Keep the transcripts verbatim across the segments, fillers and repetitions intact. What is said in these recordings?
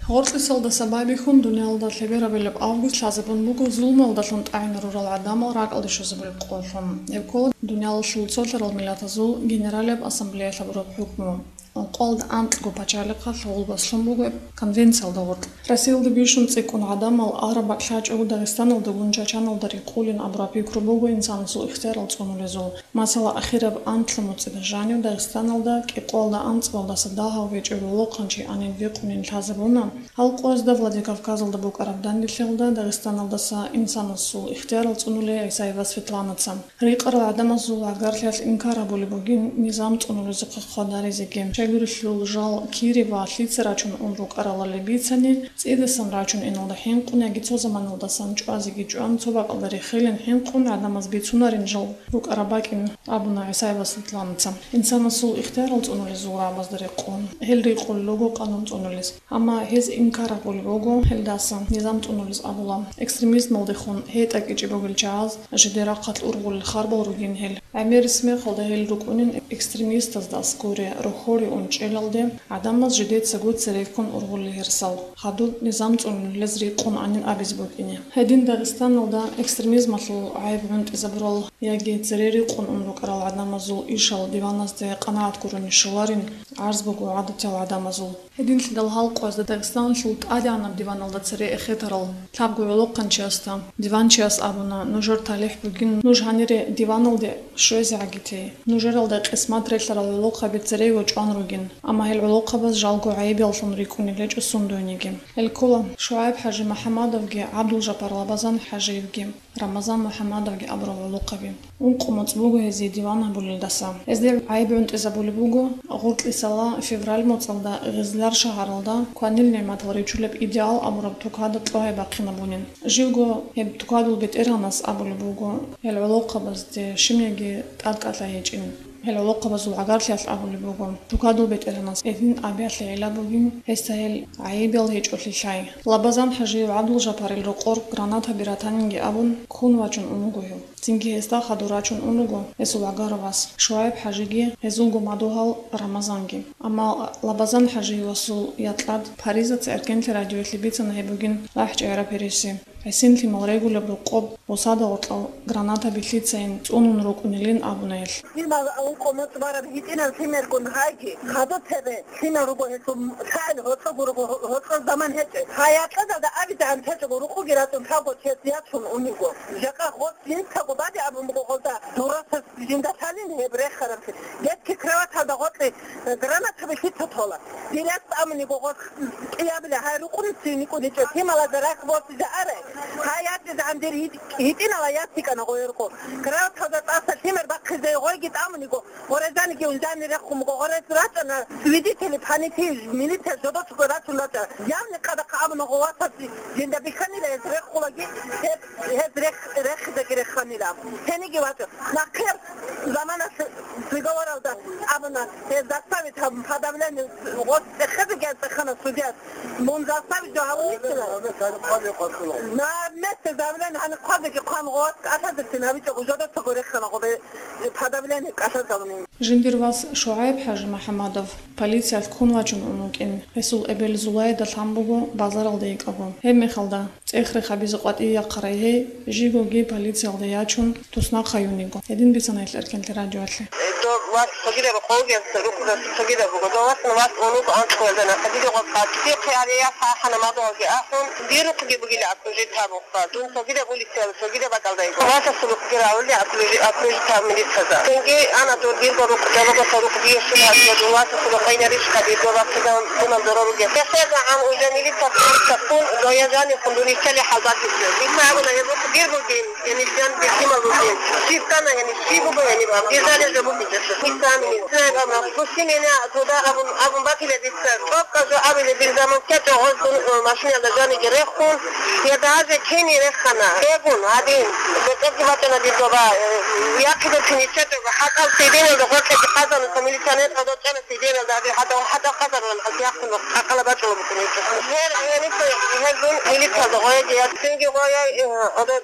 Гъоркьисалдаса байбихьун дуниялалда лъеберабилеб август лъазабун буго зулмалдалъун тӀагӀинарурал гӀадамал ракӀалде щвезабулеб къоллъун. Гьеб ккола дуниялалъул цолъарал миллатазул Генералияб ассамблеялъ гьабураб хӀукму. Ункъоялда анкьго пачалихъалъ гъулбас лъун буго гьеб конвенциялда гъоркь. Россиялда бищун цӀикӀкӀун гӀадамал араб бакӀ лъачӀого Дагъистаналдагун чачаналда рикъулин абураб пикру буго инсанасул ихтиярал цӀунулезул. Масала, ахираб анлъго муцӀида жанив Дагъистаналда кӀикъоялда анцӀгоялдаса дагьав гьечӀев гӀолохъанчи анин вихъунин лъазабуна. Гьал къоязда Владикавказалда букӀараб данделъиялда Дагъистаналдаса инсанасул ихтиярал цӀунулей ГӀисаева Светланаца. Рикъарал гӀадамазул гӀагарлъиялъ инкар гьабулеб бугин низам цӀунулезухъе хъвадаризеги. Щайгурелъул жал кири ва лъица рачун ун рукӀаралали бицани, цӀидасан рачун иналда хӀинкъун яги цо заманалдасан чӀвазеги чӀван, цо бакӀалда рехилин хӀинкъун гӀадамаз бицунарин жал рукӀараб бакӀин, абуна ГӀисаева Светланаца. Инсанасул ихтиярал цӀунулезул рагӀабазда рекъон, гьел рикъулел руго къанун цӀунулез. Амма гьез инкар гьабулеб буго гьелдаса, низам цӀунулез абула. Экстремизмалдехун гьетӀа кӀичӀеб бугел чагӀаз жидер рахъалъ ургъулел харбал ругин гьел. ГӀемерис мехалда гьел рукӀунин экстремистазда аскӀоре рохьоре ун чӀелалде, гӀадамаз жидецаго цереккун ургъулел гьерсал, хадуб низам цӀунулез рикъун анин абизе букӀине. Гьедин Дагъистаналда экстремизмалъул гӀайиб гӀунтӀизабурал яги цере рикъун ун рукӀарал гӀадамазул ишал диваназде къанагӀат гурони щоларин гӀарз буго гӀадатиял гӀадамазул. Гьединлъидал гьал къоязда Дагъистаналъул тӀадегӀанаб диваналда цере эхетарал лъабго гӀолохъанчиясда диванчияс абуна: «Нужер талихӀ бугин, нуж гьанире диваналде щвезегӀаги те. Нужералда къисмат релълъарал гӀолохъаби церего чӀван ругин, амма гьел гӀолохъабаз жалго гӀайибаллъун рикӀкӀунел гьечӀо сундуйниги». Гьел ккола ШугӀайб-хӀажи МухӀаммадовги, ГӀабдулжапар Лабазан-хӀажиевги. Рамазан МухӀаммадовги абурал гӀолохъаби. Ункъо моцӀ буго гьезие диван гьабулелдаса. Гьезде гӀайиб гӀунтӀизабулеб буго гъоркьисала февраль моцӀалда Гъизлар шагьаралда кванил нигӀматал ричулеб «Идеал» абураб тукада кьогьай бахъинабунин. Живго гьеб тукадул бетӀергьанас абулеб буго гьел гӀолохъабазде щибниги тӀадкӀалъай гьечӀин. Гьел гӀолохъабазул гӀагарлъиялъ абулеб буго, тукадул бетӀергьанас гьедин абиялъе гӀилла бугин, гьесда гьел гӀайибал гьечӀолъи лъай. Лабазан-хӀажиев ГӀабдулжапарил рокъор гранатаби ратанинги абун, ккун вачун ун вуго гьев. Цинги гьесда хадур рачун ун вуго гьесул гӀагар вас, ШугӀайб-хӀажиги, гьезулго мадугьал Рамазанги. Амма Лабазан-хӀажиевасул якьад Паризаца Эркенлъи радиоялъе бицана гьеб бугин лахӀчӀегӀераб гьереси. ГӀисин лъимал регулеб рокъоб бусада гъоркьал гранатаби лъицайин цӀунун рукӀунилин абуна гьелъ. Лъимал ункъо моцӀ бараб гьитӀинаб лъимергун гьайги, хадуб цебе лъимал руго гьелъул лъагӀел гьоркьоб руго, гьоркьор заман гьечӀеб. Гьай якьадалда абидегӀан течӀого рукъуги ратӀун лъабго чияс ячун унего. Жакъа гъос жинцаго баде абун буго гъолда, дурасас жинда лъалин гьеб рехараб чи. Детский кроваталда гъоркье гранатаби лъица тола. Дир яс тӀамуниго гъос кӀиябила гьай рукъунин цин никӀун гьечӀо, лъималазда рахъ босизе арай. Гьай ятӀизегӀан дир гьитӀ-, гьитӀинала яс йикӀана гъойрго. Краваталда тӀаса лъимер бахъизе гъойги тӀамуниго, гъорезаниги унзани рехун буго, гъорез рачӀана, свидетели, понятые, милиция жодоцго рачун рачӀа. Явни къадахъа абуна гъо васаси, жинда бихьанила гьез рехулаги, гьеб, гьез рех-, рехизеги реханила. Гьениги вачӀа. Нахъер заманалъ договоралда абуна, гьез заставит гьабун, подавление, гъос цӀехезеги цӀехана судьяс. Мун заставит жо гьабунищила? На месте заявление гьаниб хъвазеги хъван гъос кӀалъазехъин гьабичӀого жодоцаго рехана гъобе подавление кӀалъаз гьабунин. Жиндир вас ШугӀайб-хӀажи МухӀаммадов полициялъ ккун вачун ун вукӀин. Гьесул эбел Зулайда лъан буго базаралда йикӀаго. Гьеб мехалда, цӀех-рех гьабизе къватӀиве яхъарай гьей, жигоги полициялда ячун, туснахъ гьаюн йиго. Гьедин бицана гьелъ Эркенлъи радиоялъе. Дов вас цогидаб рокъовги рукъугас цогидаб буго. Дов вас, ну, вас унуго анцӀгоялда нахъа диде гъос къатӀи. Дихъе гьария сахана мадугьалги ахӀун, дир рукъги бугила окружить гьабун хъван. Дун цогидаб улицаялда, цогидаб бакӀалда йиго. Васасул рукъги равли окружи-, окружить гьаб милицаза. Цинги ана дур дирго рукъ, дорогоса рукъ диешун гьабизе, дун васасул рукъ гьайнарищха дирго вахъидан дунан дора ругел. ХехезагӀан уже милица, милица ккун, доязани хъундури чали хӀалбакисе. Дица абуна гьеб рукъ дир бугин. Гьениб жан бихьимал ругин. Щиб ккана гьениб, щиб буго гьениб аб. Дир жалел жо букӀинчӀо. Дица амин. Цинаб абуна, гуси меня туда абун, абун батила дица. ТӀокӀаб жо абила дир заман ккечӀо гъоздун, э, машиналда жаниги рехун. Я даже кини рехана. Бегун, гьадин. БетӀерги бачӀана дир доба, э, яхъиго кини чечӀого. ХӀатӀал цидиналда гъоркьеги хъазануса милиционер гьадо чӀана цидиналда. Гьадин хӀатӀал, хӀатӀал хъазарулан аз яхъун къакъала бачӀула букӀун гьечӀо. Гьер, гьениса, гьезун милициялда гъояги я. Цинги гъояй, э, гьадо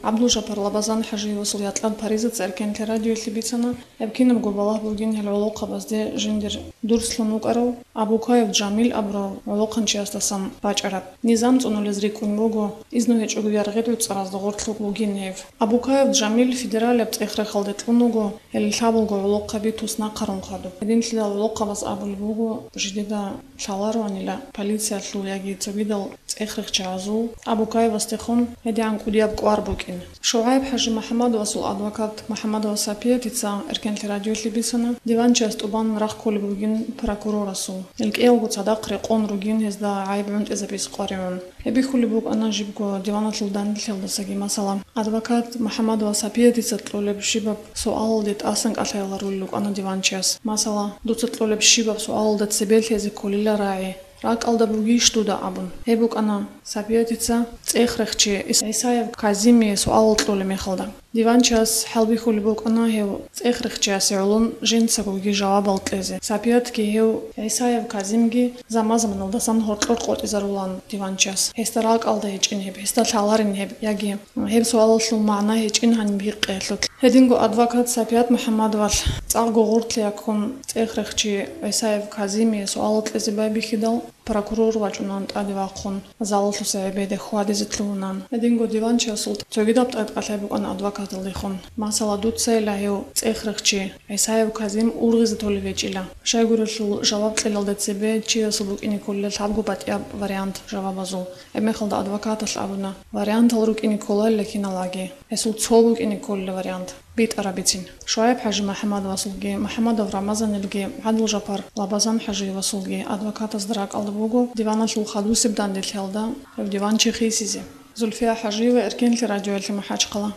ГӀабдулжапар Лабазан-хӀажиевасул якьал Паризаца Эркенлъи радиоялъе бицана, гьеб кинабго балагь бугин гьел гӀолохъабазде жиндир дурслъун вукӀарав Абукаев Жамил абурав гӀолохъанчиясдасан бачӀараб. Низам цӀунулез рикӀкӀун буго, изну гьечӀого яргъи гӀуцӀаразда гъоркьлъун вугин гьев. Абукаев Жамил федералияб цӀех-рехалде кьун вуго, гьел лъабалго гӀолохъаби туснахъарун хадуб. Гьединлъидал гӀолохъабаз абулеб буго, жидеда лъалароанила полициялъул яги цогидал цӀех-рехчагӀазул Абукаевасдехун гьедигӀан кӀудияб кӀвар букӀин. ШугӀайб-хӀажи МухӀаммадовасул адвокат МухӀаммадова Сапиятица Эркенлъи радиоялъе бицана, диванчияс тӀубан рахъ кколеб бугин прокурорасул. Гьел кӀиялго цадахъ рекъон ругин гьезда гӀайиб гӀунтӀизабиз къваригӀун. Гьеб бихьулеб букӀана жибго диваналъул данделъиялдасаги, масала, адвокат МухӀаммадова Сапиятица кьолеб щибаб суалалде тӀасан кӀалъайиларулел рукӀана диванчияс. Масала, дуца кьолеб щибаб суалалда цебе лъезе кколила рагӀи, ракӀалда бугищ дуда абун. Гьеб букӀана Сапиятица цӀех-рехчи ГӀисаев Казимие суалал кьолеб мехалда. Диванчияс хӀалбихьулеб букӀана гьев цӀех-рехчиясе гӀолон жинцагоги жавабал кьезе. Сапиятги гьев ГӀисаев Казимги заман-заманалдасан гьоркьор къотӀизарулан диванчияс. Гьесда ракӀалда гьечӀин гьеб, гьесда лъаларин гьеб, яги гьеб суалалъул магӀна гьечӀин гьаниб гьикъиялъулъ. Гьединго адвокат Сапият МухӀаммадовалъ цӀакъго гъоркьлъи ккун цӀех-рехчи ГӀисаев Казимие суалал кьезе байбихьидал, прокурор вачӀунан тӀаде вахъун, залалъуса гӀебеде хьвадизе лъугьунан. Гьединго диванчиясул цогидаб тӀадкъалъай букӀана адвокаталдехун. Масала, дуцайила гьев цӀех-рехчи ГӀисаев Казим ургъизе толев гьечӀила. Щайгурелъул жаваб кьелалда цебе чиясул букӀине кколила лъабго батӀияб вариант жавабазул. Гьебмехалда адвокаталъ абуна, вариантал рукӀине кколайила киналаги, гьесул цо букӀине кколила вариант битӀарабицин. ШугӀайб-хӀажи МухӀаммадовасулги, МухӀаммадов Рамазанилги, ГӀабдулжапар Лабазан-хӀажиевасулги адвокатазда ракӀалда буго диваналъул хадусеб данделъиялда гьев диванчи хисизе. Зульфия ХӀажиева, Эркенлъи радиоялъе МахӀачхъала.